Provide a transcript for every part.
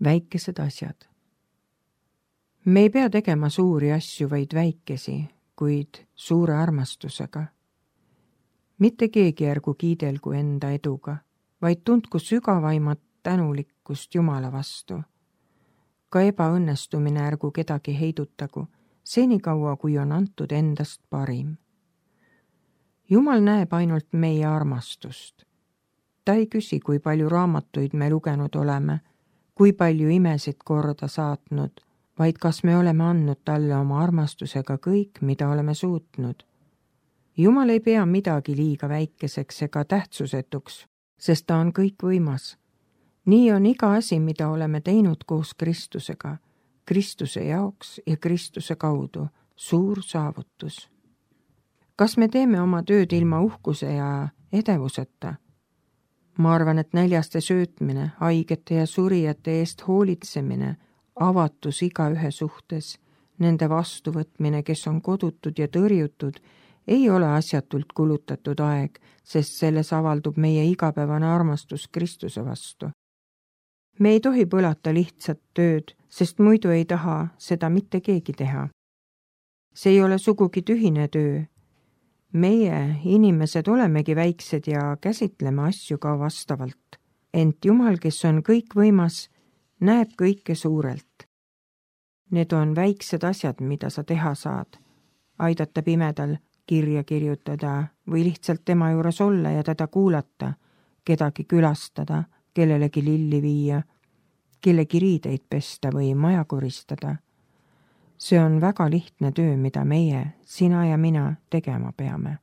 Väikesed asjad. Me ei pea tegema suuri asju, vaid väikesi, kuid suure armastusega. Mitte keegi ärgu kiidelgu enda eduga, vaid tundku sügavaimat tänulikkust Jumala vastu. Ka ebaõnnestumine ärgu kedagi heidutagu, senikaua kui on antud endast parim. Jumal näeb ainult meie armastust. Ta ei küsi, kui palju raamatuid me lugenud oleme, kui palju imesid korda saatnud, vaid kas me oleme andnud talle oma armastusega kõik, mida oleme suutnud. Jumal ei pea midagi liiga väikeseks ega tähtsusetuks, sest ta on kõikvõimas. Nii on iga asi, mida oleme teinud koos Kristusega, Kristuse jaoks ja Kristuse kaudu, suur saavutus. Kas me teeme oma tööd ilma uhkuse ja edevuseta? Ma arvan, et näljaste söötmine, haigete ja surijate eest hoolitsemine, avatus igaühe suhtes, nende vastuvõtmine, kes on kodutud ja tõrjutud, ei ole asjatult kulutatud aeg, sest selles avaldub meie igapäevane armastus Kristuse vastu. Me ei tohi põlata lihtsat tööd, sest muidu ei taha seda mitte keegi teha. See ei ole sugugi tühine töö. Meie, inimesed, olemegi väiksed ja käsitleme asju ka vastavalt. Ent Jumal, kes on kõikvõimas, näeb kõike suurelt. Need on väiksed asjad, mida sa teha saad. Aidata pimedal kirja kirjutada või lihtsalt tema juures olla ja teda kuulata, kedagi külastada, kellelegi lilli viia, kellegi riideid pesta või maja koristada. See on väga lihtne töö, mida meie, sina ja mina, tegema peame.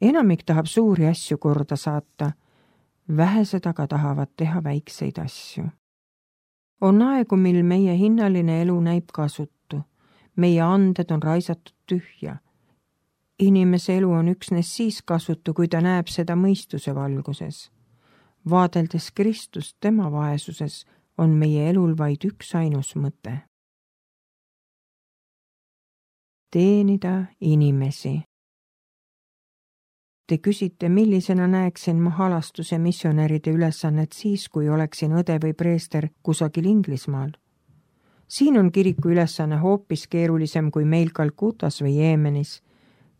Enamik tahab suuri asju korda saata, vähesed aga tahavad teha väikseid asju. On aegu, mil meie hinnaline elu näib kasutu. Meie anded on raisatud tühja. Inimese elu on üksnes siis kasutu, kui ta näeb seda mõistuse valguses. Vaadeldes Kristust tema vaesuses on meie elul vaid üks ainus mõte. Teenida inimesi. Te küsite, millisena näeksin ma halastuse missionäride ülesannet siis, kui oleksin õde või preester kusagil Inglismaal. Siin on kiriku ülesanne hoopis keerulisem kui meil Kalkutas või Jeemenis.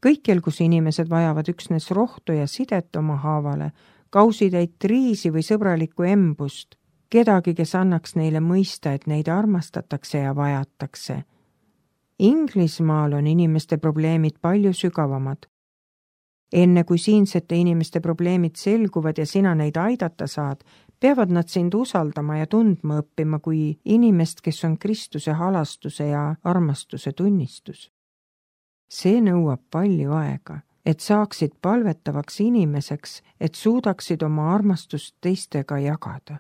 Kõikjal, kus inimesed vajavad üksnes rohtu ja sidet oma haavale, kausitäit riisi või sõbralikku embust, kedagi, kes annaks neile mõista, et neid armastatakse ja vajatakse. Inglismaal on inimeste probleemid palju sügavamad. Enne kui siinsete inimeste probleemid selguvad ja sina neid aidata saad, peavad nad sind usaldama ja tundma õppima kui inimest, kes on Kristuse halastuse ja armastuse tunnistus. See nõuab palju aega, et saaksid palvetavaks inimeseks, et suudaksid oma armastust teistega jagada.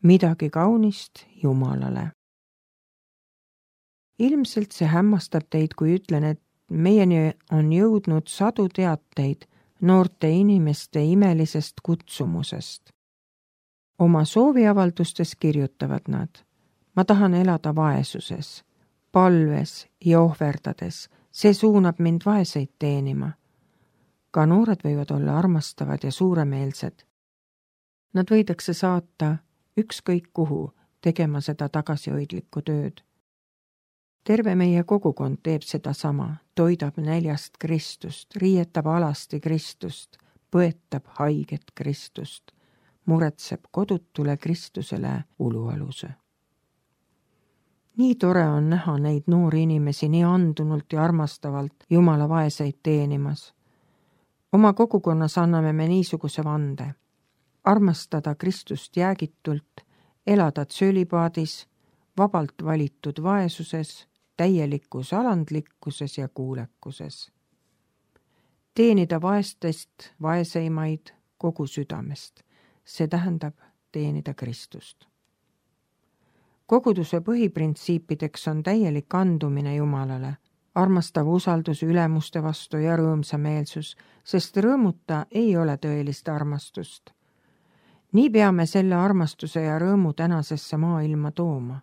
Midagi kaunist Jumalale. Ilmselt see hämmastab teid, kui ütlen, et meieni on jõudnud sadu teateid noorte inimeste imelisest kutsumusest. Oma sooviavaldustes kirjutavad nad: ma tahan elada vaesuses, palves ja ohverdades, see suunab mind vaeseid teenima. Ka noored võivad olla armastavad ja suuremeelsed. Nad võidakse saata ükskõik kuhu tegema seda tagasihoidlikku tööd. Terve meie kogukond teeb seda sama, toidab näljast Kristust, riietab alasti Kristust, põetab haiget Kristust, muretseb kodutule Kristusele ulualuse. Nii tore on näha neid noori inimesi nii andunult ja armastavalt Jumala vaeseid teenimas. Oma kogukonnas anname me niisuguse vande: armastada Kristust jäägitult, elada tsölipaadis, vabalt valitud vaesuses, täielikus alandlikkuses ja kuulekuses. Teenida vaestest vaeseimaid kogu südamest, see tähendab teenida Kristust. Koguduse põhiprintsiipideks on täielik andumine Jumalale, armastav usaldus ülemuste vastu ja rõõmsameelsus, sest rõõmuta ei ole tõelist armastust. Nii peame selle armastuse ja rõõmu tänasesse maailma tooma.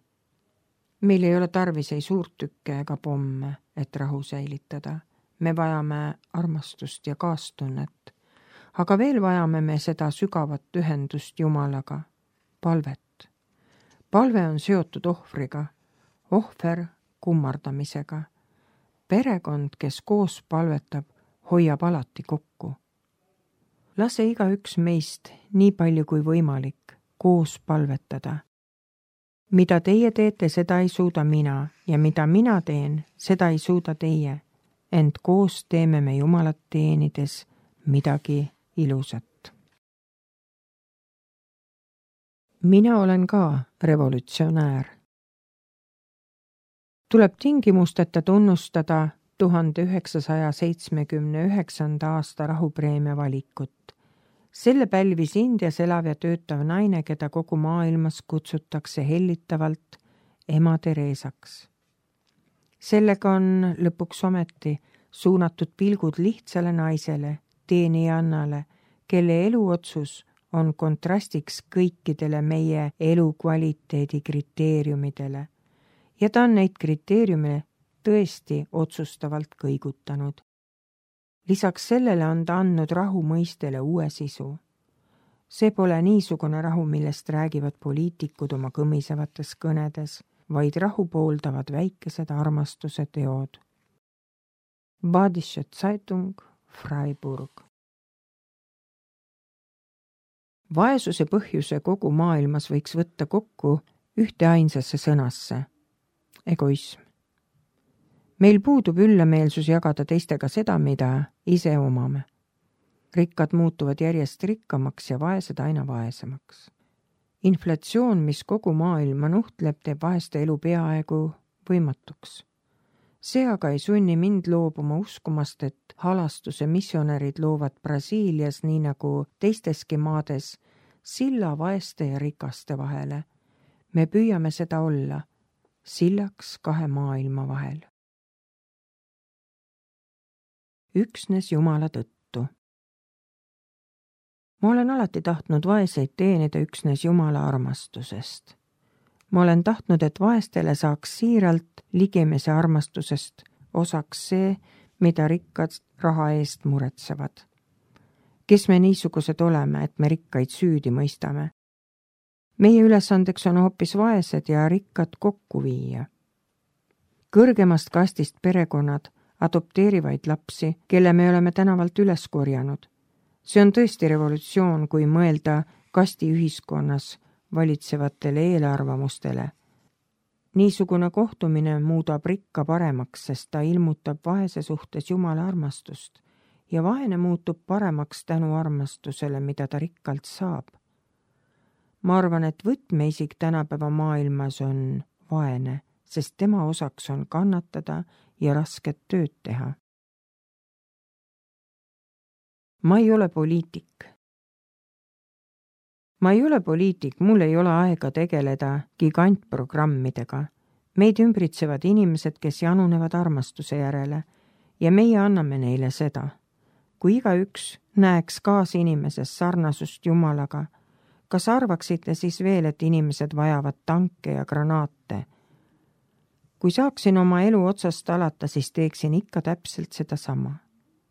Meil ei ole tarvis ei suurtükke ega pomme, et rahu säilitada. Me vajame armastust ja kaastunnet. aga veel vajame me seda sügavat ühendust Jumalaga, palvet. Palve on seotud ohvriga, ohver kummardamisega. Perekond, kes koos palvetab, hoiab alati kokku. Lase igaüks meist nii palju kui võimalik koos palvetada. Mida teie teete, seda ei suuda mina, ja mida mina teen, seda ei suuda teie. Ent koos teeme me Jumalat teenides midagi ilusat. Mina olen ka revolutsionäär. Tuleb tingimusteta tunnustada 1979. aasta rahupreemia valikut. Selle pälvis Indias elav ja töötav naine, keda kogu maailmas kutsutakse hellitavalt ema Tereesaks. Sellega on lõpuks ometi suunatud pilgud lihtsale naisele, teenijannale, kelle eluotsus on kontrastiks kõikidele meie elukvaliteedi kriteeriumidele ja ta on neid kriteeriume tõesti otsustavalt kõigutanud. Lisaks sellele on ta andnud rahu mõistele uue sisu. See pole niisugune rahu, millest räägivad poliitikud oma kõmisevates kõnedes, vaid rahu pooldavad väikesed armastuse teod. Badische Zeitung, Freiburg. Vaesuse põhjuse kogu maailmas võiks võtta kokku ühte ainsasse sõnasse. Egoism. Meil puudub üllameelsus jagada teistega seda, mida ise omame. Rikkad muutuvad järjest rikkamaks ja vaesed aina vaesemaks. Inflatsioon, mis kogu maailma nuhtleb, teeb vaeste elu peaaegu võimatuks. See aga ei sunni mind loobuma uskumast, et halastuse missionärid loovad Brasiilias nii nagu teisteski maades silla vaeste ja rikaste vahele. Me püüame seda olla, sillaks kahe maailma vahel. Üksnes Jumala tõttu. Ma olen alati tahtnud vaeseid teenida üksnes Jumala armastusest. Ma olen tahtnud, et vaestele saaks siiralt ligimese armastusest osaks see, mida rikkad raha eest muretsevad. Kes me niisugused oleme, et me rikkaid süüdi mõistame? Meie ülesandeks on hoopis vaesed ja rikkad kokku viia. Kõrgemast kastist perekonnad adopteerivaid lapsi, kelle me oleme tänavalt üles korjanud. See on tõesti revolutsioon, kui mõelda kasti ühiskonnas valitsevatele eelarvamustele. Niisugune kohtumine muudab rikka paremaks, sest ta ilmutab vaese suhtes Jumala armastust ja vaene muutub paremaks tänu armastusele, mida ta rikkalt saab. Ma arvan, et võtmeisik tänapäeva maailmas on vaene, sest tema osaks on kannatada ja rasket tööd teha. Ma ei ole poliitik. Ma ei ole poliitik, mul ei ole aega tegeleda gigantprogrammidega. Meid ümbritsevad inimesed, kes janunevad armastuse järele ja meie anname neile seda. Kui igaüks näeks kaasinimises sarnasust Jumalaga, kas arvaksite siis veel, et inimesed vajavad tanke ja granaate? Kui saaksin oma elu otsast alata, siis teeksin ikka täpselt seda sama.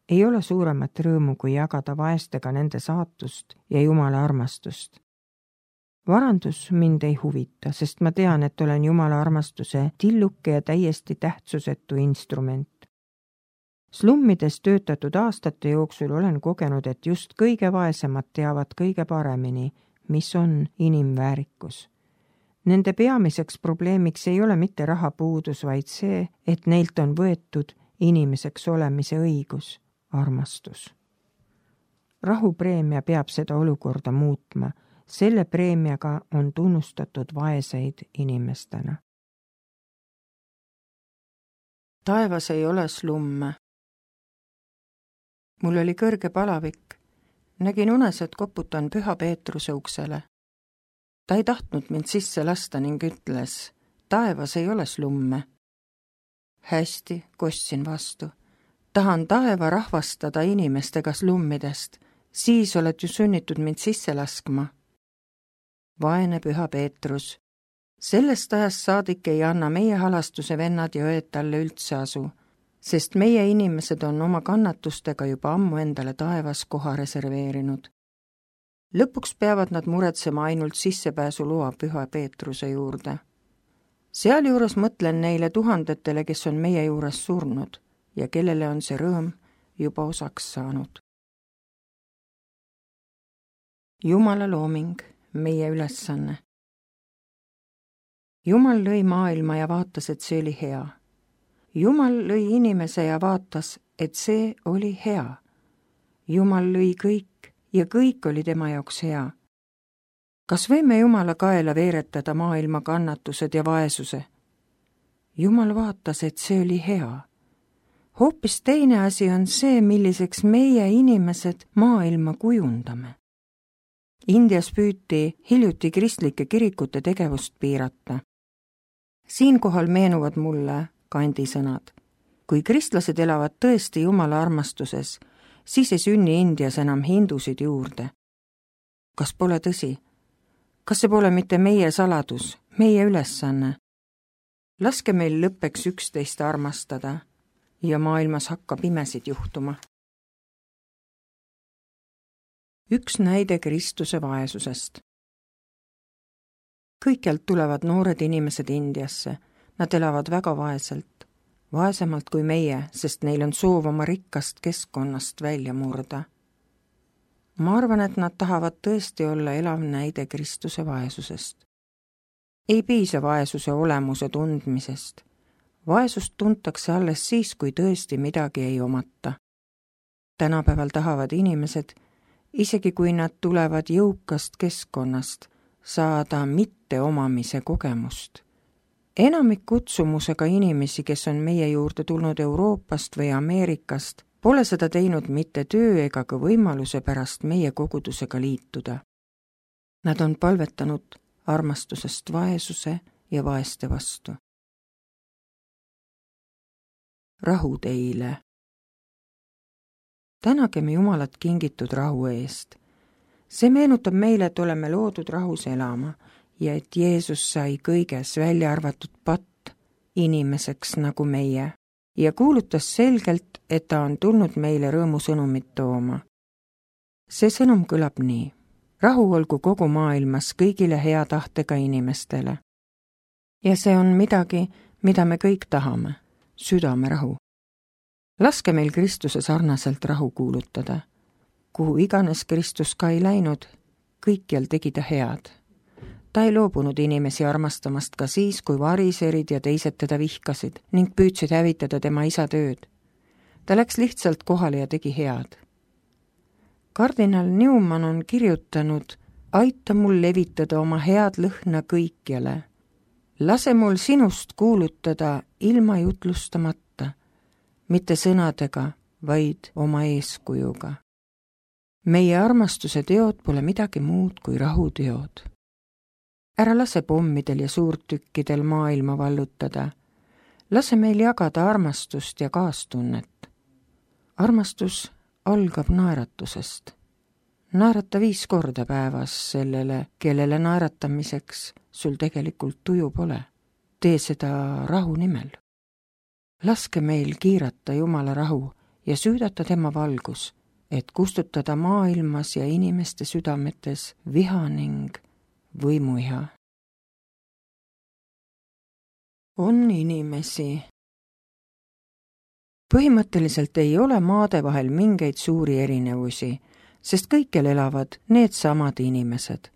Ei ole suuremat rõõmu, kui jagada vaestega nende saatust ja Jumala armastust. Varandus mind ei huvita, sest ma tean, et olen Jumala armastuse tilluke ja täiesti tähtsusetu instrument. Slummides töötatud aastate jooksul olen kogenud, et just kõige vaesemad teavad kõige paremini, mis on inimväärikus. Nende peamiseks probleemiks ei ole mitte rahapuudus, vaid see, et neilt on võetud inimeseks olemise õigus, armastus. Rahupreemia peab seda olukorda muutma. Selle preemiaga on tunnustatud vaeseid inimestena. Taevas ei ole slumme. Mul oli kõrge palavik. Nägin unes, et koputan Püha Peetruse uksele. Ta ei tahtnud mind sisse lasta ning ütles, taevas ei ole slumme. Hästi, kostsin vastu. Tahan taeva rahvastada inimestega slummidest. Siis oled ju sunnitud mind sisse laskma. Vaene Püha Peetrus. Sellest ajast saadik ei anna meie halastuse vennad ja õed talle üldse asu. sest meie inimesed on oma kannatustega juba ammu endale taevas koha reserveerinud. Lõpuks peavad nad muretsema ainult sissepääsuloa Püha Peetruse juurde. Sealjuures mõtlen neile tuhandetele, kes on meie juures surnud ja kellele on see rõõm juba osaks saanud. Jumala looming, meie ülesanne. Jumal lõi maailma ja vaatas, et see oli hea. Jumal lõi inimese ja vaatas, et see oli hea. Jumal lõi kõik ja kõik oli tema jaoks hea. Kas võime Jumala kaela veeretada maailma kannatused ja vaesuse? Jumal vaatas, et see oli hea. Hoopis teine asi on see, milliseks meie inimesed maailma kujundame. Indias püüti hiljuti kristlike kirikute tegevust piirata. Siinkohal meenuvad mulle Gandhi sõnad. Kui kristlased elavad tõesti Jumala armastuses, siis ei sünni Indias enam hindusid juurde. Kas pole tõsi? Kas see pole mitte meie saladus, meie ülesanne? Laske meil lõppeks üksteist armastada ja maailmas hakkab imesid juhtuma. Üks näide Kristuse vaesusest. Kõikjalt tulevad noored inimesed Indiasse. Nad elavad väga vaeselt, vaesemalt kui meie, sest neil on soov oma rikkast keskkonnast välja murda. Ma arvan, et nad tahavad tõesti olla elav näide Kristuse vaesusest. Ei piisa vaesuse olemuse tundmisest. Vaesust tuntakse alles siis, kui tõesti midagi ei omata. Tänapäeval tahavad inimesed, isegi kui nad tulevad jõukast keskkonnast, saada mitteomamise kogemust. Enamik kutsumusega inimesi, kes on meie juurde tulnud Euroopast või Ameerikast, pole seda teinud mitte töö ega ka võimaluse pärast meie kogudusega liituda. Nad on palvetanud armastusest vaesuse ja vaeste vastu. Rahu teile. Tänagem Jumalat kingitud rahu eest. See meenutab meile, et oleme loodud rahus elama ja et Jeesus sai kõiges välja arvatud patt inimeseks nagu meie ja kuulutas selgelt, et ta on tulnud meile rõõmusõnumit tooma. See sõnum kõlab nii. Rahu olgu kogu maailmas kõigile hea tahtega inimestele. Ja see on midagi, mida me kõik tahame, südamerahu. Laske meil Kristuse sarnaselt rahu kuulutada. Kuhu iganes Kristus ka ei läinud, kõikjal tegi ta head. Ta ei loobunud inimesi armastamast ka siis, kui variserid ja teised teda vihkasid ning püüdsid hävitada tema isa tööd. Ta läks lihtsalt kohale ja tegi head. Kardinal Newman on kirjutanud, aita mul levitada oma head lõhna kõikjale. Lase mul sinust kuulutada ilma jutlustamata, mitte sõnadega, vaid oma eeskujuga. Meie armastuse teod pole midagi muud kui rahuteod. Ära lase pommidel ja suurtükkidel maailma vallutada. Lase meil jagada armastust ja kaastunnet. Armastus algab naeratusest. Naerata 5 korda päevas sellele, kellele naeratamiseks sul tegelikult tuju pole. Tee seda rahu nimel. Laske meil kiirata Jumala rahu ja süüdata tema valgus, et kustutada maailmas ja inimeste südametes viha ning võimuiha. On inimesi. Põhimõtteliselt ei ole maade vahel mingeid suuri erinevusi, sest kõikjal elavad need samad inimesed.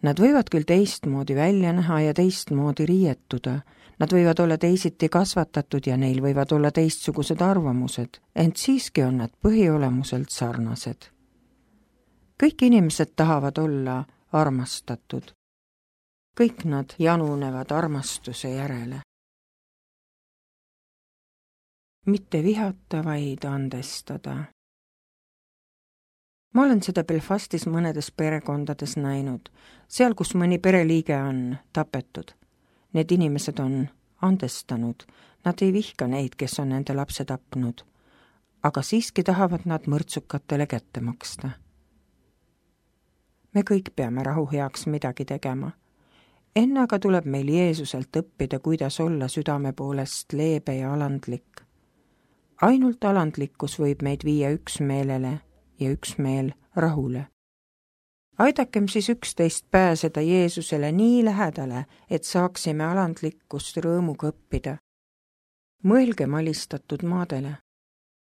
Nad võivad küll teistmoodi välja näha ja teistmoodi riietuda, nad võivad olla teisiti kasvatatud ja neil võivad olla teistsugused arvamused, ent siiski on nad põhiolemuselt sarnased. Kõik inimesed tahavad olla armastatud. Kõik nad janunevad armastuse järele. Mitte vihata, vaid andestada. Ma olen seda Belfastis mõnedes perekondades näinud, seal, kus mõni pereliige on tapetud. Need inimesed on andestanud, nad ei vihka neid, kes on nende lapse tapnud, aga siiski tahavad nad mõrtsukatele kätte maksta. Me kõik peame rahu heaks midagi tegema. Enne aga tuleb meil Jeesuselt õppida, kuidas olla südame poolest leebe ja alandlik. Ainult alandlikkus võib meid viia üksmeelele ja üksmeel rahule. Aidakem siis üksteist pääseda Jeesusele nii lähedale, et saaksime alandlikkust rõõmuga õppida. Mõelgem alistatud maadele.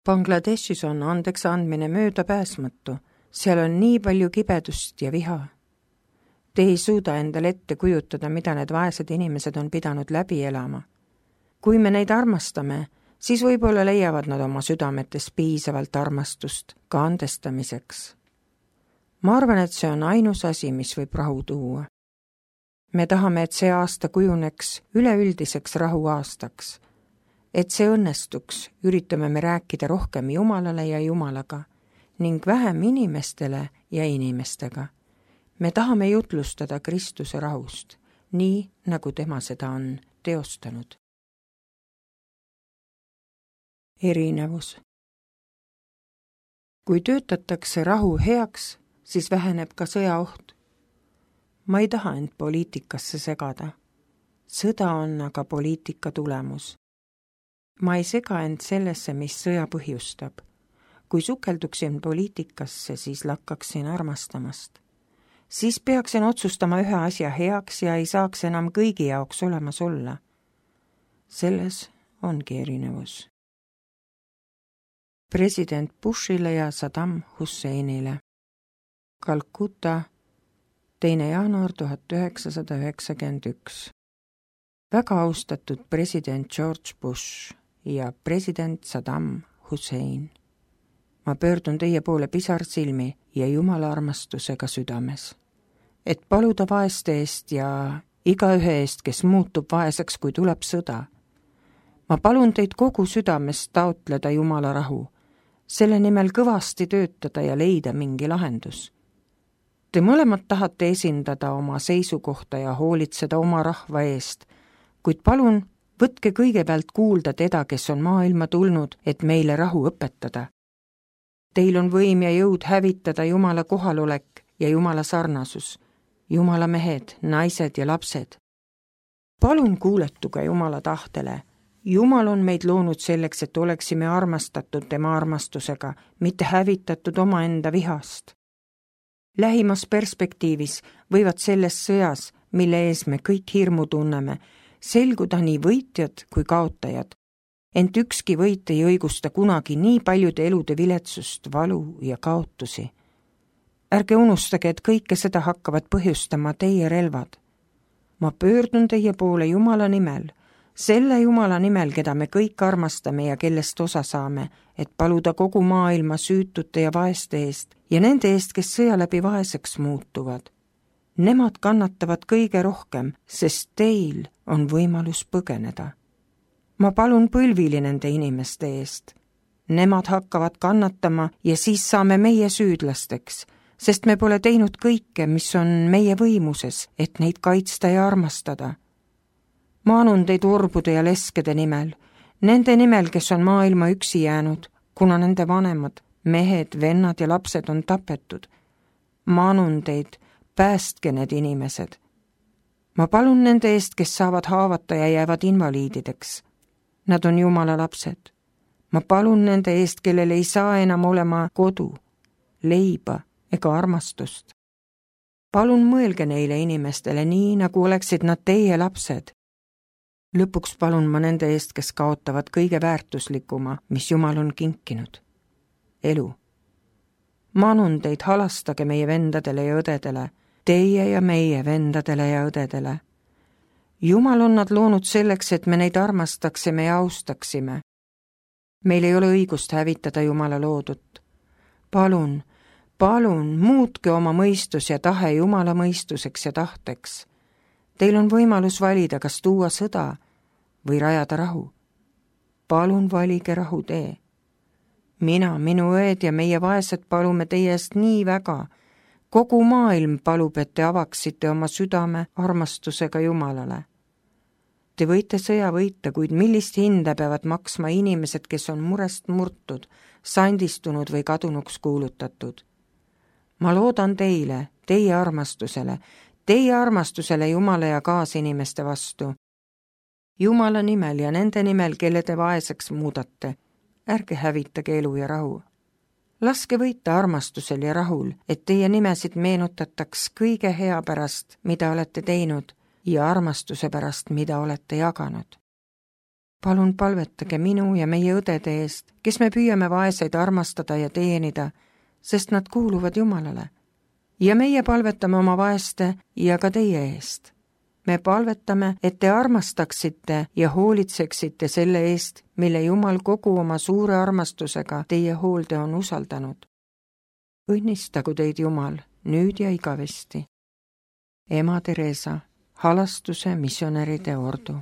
Bangladeshis on andeks andmine möödapääsmatu. Seal on nii palju kibedust ja viha. Te ei suuda endale ette kujutada, mida need vaesed inimesed on pidanud läbi elama. Kui me neid armastame, siis võib-olla leiavad nad oma südametes piisavalt armastust ka andestamiseks. Ma arvan, et see on ainus asi, mis võib rahu tuua. Me tahame, et see aasta kujuneks üleüldiseks rahuaastaks. Et see õnnestuks, üritame me rääkida rohkem Jumalale ja Jumalaga ning vähem inimestele ja inimestega. Me tahame jutlustada Kristuse rahust, nii nagu tema seda on teostanud. Erinevus. Kui töötatakse rahu heaks, siis väheneb ka sõjaoht. Ma ei taha end poliitikasse segada. Sõda on aga poliitika tulemus. Ma ei sega end sellesse, mis sõja põhjustab. Kui sukelduksin poliitikasse, siis lakkaksin armastamast. Siis peaksin otsustama ühe asja heaks ja ei saaks enam kõigi jaoks olemas olla. Selles ongi erinevus. President Bushile ja Saddam Husseinile. Kalkuta, 2. jaanuar 1991. Väga austatud president George Bush ja president Saddam Hussein. Ma pöördun teie poole pisarsilmi ja Jumala armastusega südames, et paluda vaeste eest ja igaühe eest, kes muutub vaeseks, kui tuleb sõda. Ma palun teid kogu südamest taotleda Jumala rahu, selle nimel kõvasti töötada ja leida mingi lahendus. Te mõlemad tahate esindada oma seisukohta ja hoolitseda oma rahva eest, kuid palun võtke kõigepealt kuulda teda, kes on maailma tulnud, et meile rahu õpetada. Teil on võim ja jõud hävitada Jumala kohalolek ja Jumala sarnasus, Jumala mehed, naised ja lapsed. Palun kuuletuge Jumala tahtele. Jumal on meid loonud selleks, et oleksime armastatud tema armastusega, mitte hävitatud omaenda vihast. Lähimas perspektiivis võivad selles sõjas, mille ees me kõik hirmu tunneme, selguda nii võitjad kui kaotajad. Ent ükski võit ei õigusta kunagi nii paljude elude viletsust, valu ja kaotusi. Ärge unustage, et kõike seda hakkavad põhjustama teie relvad. Ma pöördun teie poole Jumala nimel, selle Jumala nimel, keda me kõik armastame ja kellest osa saame, et paluda kogu maailma süütute ja vaeste eest ja nende eest, kes sõja läbi vaeseks muutuvad. Nemad kannatavad kõige rohkem, sest teil on võimalus põgeneda. Ma palun põlvili nende inimeste eest. Nemad hakkavad kannatama ja siis saame meie süüdlasteks, sest me pole teinud kõike, mis on meie võimuses, et neid kaitsta ja armastada. Ma anun teid orbude ja leskede nimel, nende nimel, kes on maailma üksi jäänud, kuna nende vanemad, mehed, vennad ja lapsed on tapetud. Ma anun teid, päästke need inimesed. Ma palun nende eest, kes saavad haavata ja jäävad invaliidideks. Nad on Jumala lapsed. Ma palun nende eest, kellel ei saa enam olema kodu, leiba ega armastust. Palun mõelge neile inimestele nii, nagu oleksid nad teie lapsed. Lõpuks palun ma nende eest, kes kaotavad kõige väärtuslikuma, mis Jumal on kinkinud. Elu. Ma anun teid, halastage meie vendadele ja õdedele, teie ja meie vendadele ja õdedele. Jumal on nad loonud selleks, et me neid armastaksime ja austaksime. Meil ei ole õigust hävitada Jumala loodut. Palun, muutke oma mõistus ja tahe Jumala mõistuseks ja tahteks. Teil on võimalus valida, kas tuua sõda või rajada rahu. Palun valige rahu tee. Mina, minu õed ja meie vaesed palume teie eest nii väga. Kogu maailm palub, et te avaksite oma südame armastusega Jumalale. Te võite sõja võita, kuid millist hinda peavad maksma inimesed, kes on murest murtud, sandistunud või kadunuks kuulutatud. Ma loodan teile, teie armastusele Jumala ja kaasinimeste vastu. Jumala nimel ja nende nimel, kelle te vaeseks muudate. ärge hävitage elu ja rahu. Laske võita armastusel ja rahul, et teie nimesid meenutataks kõige hea pärast, mida olete teinud, ja armastuse pärast, mida olete jaganud. Palun palvetage minu ja meie õdede eest, kes me püüame vaeseid armastada ja teenida, sest nad kuuluvad Jumalale. Ja meie palvetame oma vaeste ja ka teie eest. Me palvetame, et te armastaksite ja hoolitseksite selle eest, mille Jumal kogu oma suure armastusega teie hoolde on usaldanud. Õnnistagu teid Jumal nüüd ja igavesti. Ema Teresa, Halastuse missionäride ordu.